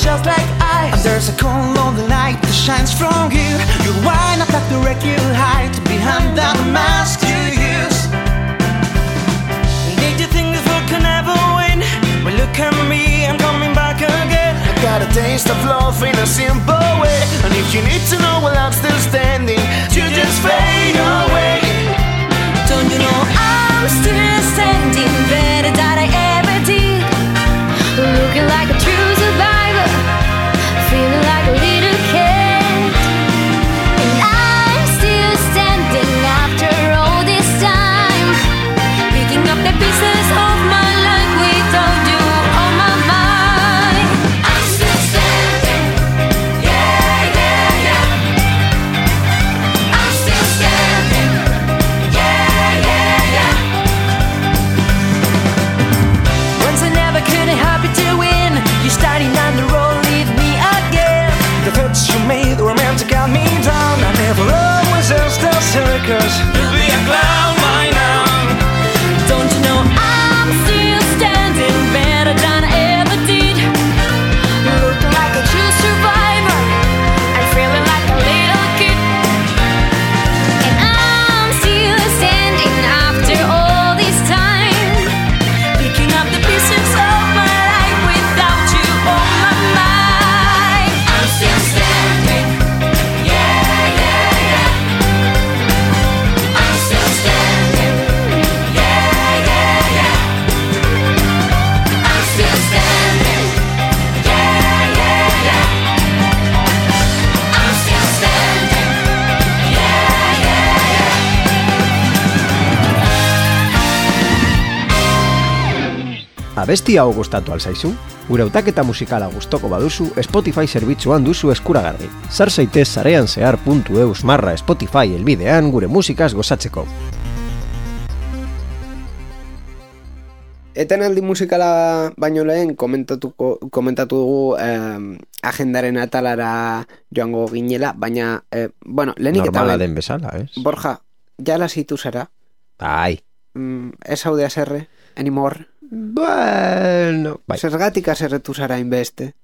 Just like ice. And there's a cold lonely light that shines from you. You wind up like the wreck you hide behind that mask you use. Did you think this world can ever win? Well, look at me, I'm coming back again. I got a taste of love in a simple way. And if you need to know while I'm still standing, you just fade away. Don't you know I'm still standing better than I ever did? Looking like a true survivor, feeling like a little kid. And I'm still standing after all this time, picking up the pieces of my life without you on my mind. I'm still standing, yeah, yeah, yeah. I'm still standing, yeah, yeah, yeah. Once I never could help you to win, you're starting down the road, leave me again. The thoughts you made were meant to calm me down. I never always just a circus. You'll be a clown by now. Don't you know I'm still standing better than I ever did? Looking like a true survivor, I'm feeling like a little kid. And I'm still standing after all this time, picking up the pieces of my life without you on my mind. I'm still standing, yeah, yeah, yeah. I'm still standing, yeah, yeah, yeah. I'm still standing, yeah, yeah, yeah. I'm still standing, yeah, yeah, yeah. Abesti hau gustatu alzaizu? Gure hautaketa musikala gustoko baduzu, Spotify zerbitzuan duzu eskuragarri. Sar zaitez sareanzehar.eus/Spotify helbidean gure musikaz gozatzeko. Etenaldi musikala baino lehen komentatu dugu agendaren atalara joango ginela, baina, lehenik eta normala den bezala, ez? Borja, jala zitu zara? Ai. Ez haude aserre, anymore? Bueno, bai. Zergatik aserretu zara inbeste?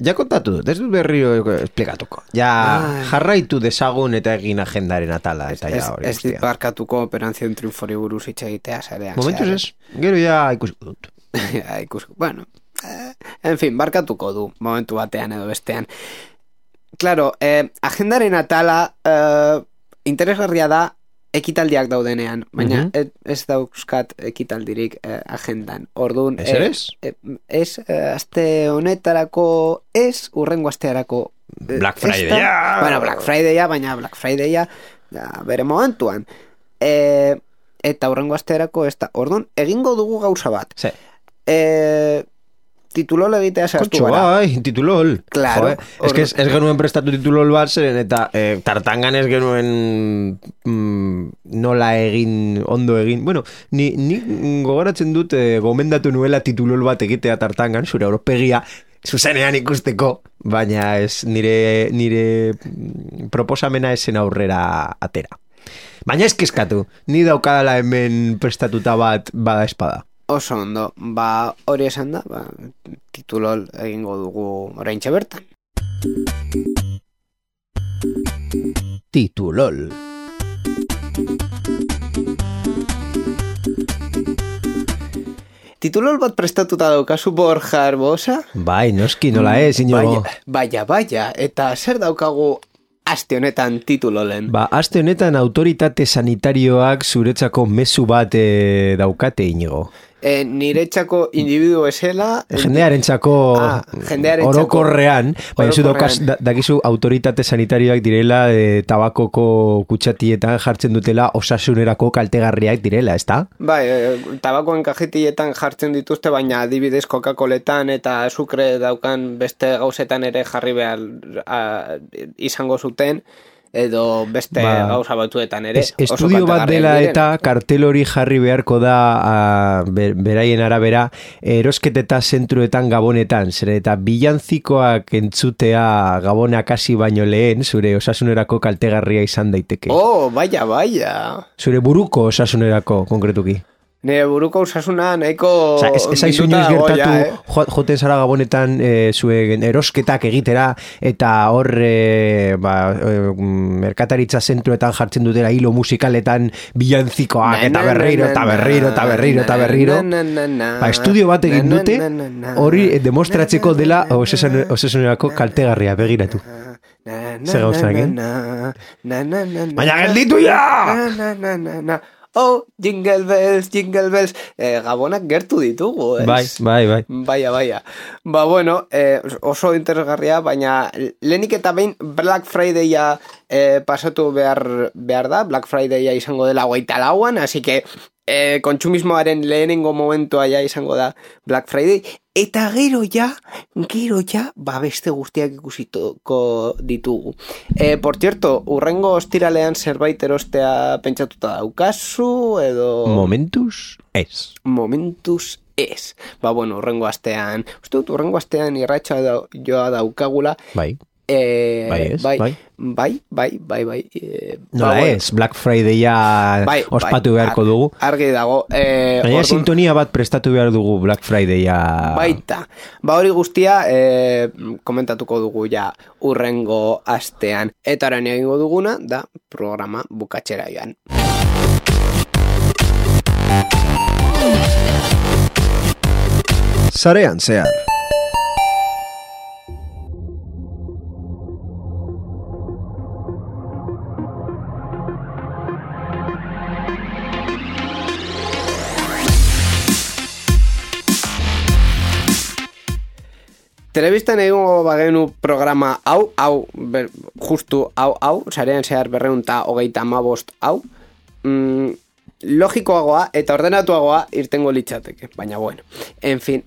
Ja kontatu dut, ez dut berriro esplikatuko. Ja jarraitu dezagun eta egin agendaren atala. Eta ja hori. Ez dit barkatuko Operación Triunfori buruz hitz egitea zarean. Momentuz ez, gero ja ikusiko dut. Bueno, en fin, barkatuko du momentu batean edo bestean. Claro, agendaren atala interesgarria da ekitaldiak daudenean, baina ez dauzkat ekitaldirik agendan. Orduan, ez aste honetarako, ez urrengo astearako Black Friday-a. Bueno, Black Friday-a, baina Black Friday-a bere momentuan. Eta urrengo astearako ez da. Orduan, egingo dugu gauza bat. Sí. Titulol egitea zehaztu gara. Bai, titulol. Claro. Ez que ez genuen prestatu titulol bat zeren, eta tartangan ez genuen nola egin, ondo egin. Bueno, ni gogoratzen dut gomendatu nuela titulol bat egitea tartangan, zure aurpegia zuzenean ikusteko, baina ez nire proposamena esen aurrera atera. Baina ez kezkatu, ni daukadala hemen prestatuta bat bada espada. Oso ondo, hori esan da, titulol egingo dugu oraintxe bertan. Titulol. Titulol bat prestatuta daukazu Borja Arbosa? Bai, noski nola ez, Inigo. Baina, eta zer daukagu aste honetan titulolen? Aste honetan autoritate sanitarioak zuretzako mezu bat daukate, Inigo. Niretzako individu esela... Jendearentzako orokorrean, baina zu dakizu autoritate sanitarioak direla tabakoko kutsatietan jartzen dutela osasunerako kaltegarriak direla, ezta? Bai, tabakoen kajetietan jartzen dituzte, baina adibidez Coca-Coletan eta azukre daukan beste gauzetan ere jarri behar izango zuten, edo beste gauza batzuetan ere. Estudio bat dela eta kartel hori jarri beharko da beraien arabera erosketeta zentruetan Gabonetan, zere eta bilantzikoak entzutea Gabonak hasi baino lehen zure osasunerako kaltegarria izan daiteke. Baina. Zure buruko osasunerako, konkretuki. Nire buruko osasuna nahiko... Ez aizu inoiz gertatu, joten zara Gabonetan zuen erosketak egitera, eta hor merkataritza zentruetan jartzen dutela hilo musikaletan bilantzikoak, eta berriro. Estudio bat egin dute, hori demostratzeko dela osasunerako kaltegarria, begiratu. Zer gauzak, Baina gelditu ja! Jingle bells. Gabonak gertu ditugu, ez? Bai. Baia. Bueno, oso interesgarria, baina lehenik eta behin Black Friday-a pasatu behar da. Black Friday-a izango dela 24an, así que kontsumismoaren lehenengo momentua ja izango da Black Friday. Eta gero ja, beste guztiak ikusituko ditugu. Por cierto, urrengo ostiralean zerbait erostea pentsatuta daukazu, edo... Momentuz ez. Bueno, urrengo astean irratxa joa daukagula. Bai. Bai. Nola ez, Black Friday-a ospatu beharko dugu. Argi dago. Baina sintonia bat prestatu behar dugu Black Friday-a. Baita. Hori guztia komentatuko dugu ja urrengo astean. Eta orain egingo duguna da programa bukatzera joan. Sarean zehar. Telebistan egingo bagenu programa hau, justu hau, sarean zehar 235 hau, logikoagoa eta ordenatuagoa irtengo litzateke, baina bueno. En fin,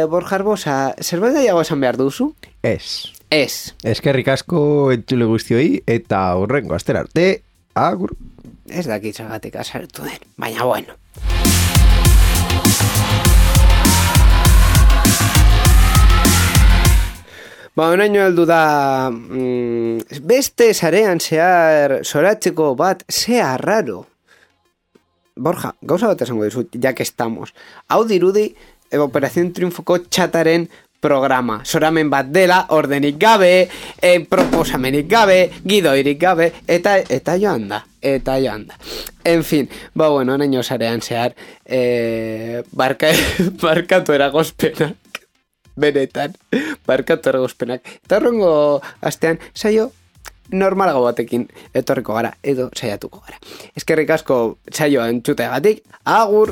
Borja Arbosa, zerbait daiago esan behar duzu? Ez. Eskerrik asko entzule guztioi eta horrengo astera arte, agur. Ez dakitzagatik azartu den, baina bueno. Honaino heldu da beste sarean zehar zoratzeko bat zea raro. Borja, gauza bat esango dizut, ya que estamos. Hau dirudi Operación Triunfoko txataren programa. Zoramen bat dela, ordenik gabe, proposamenik gabe, gidoirik gabe, eta joan da. En fin, bueno, honaino sarean zehar barkatu eragozpenak. Benetan, barkatu eragozpenak. Eta horrengo astean, saio normalago batekin etorriko gara, edo saiatuko gara. Eskerrik asko saioa entzuteagatik, agur!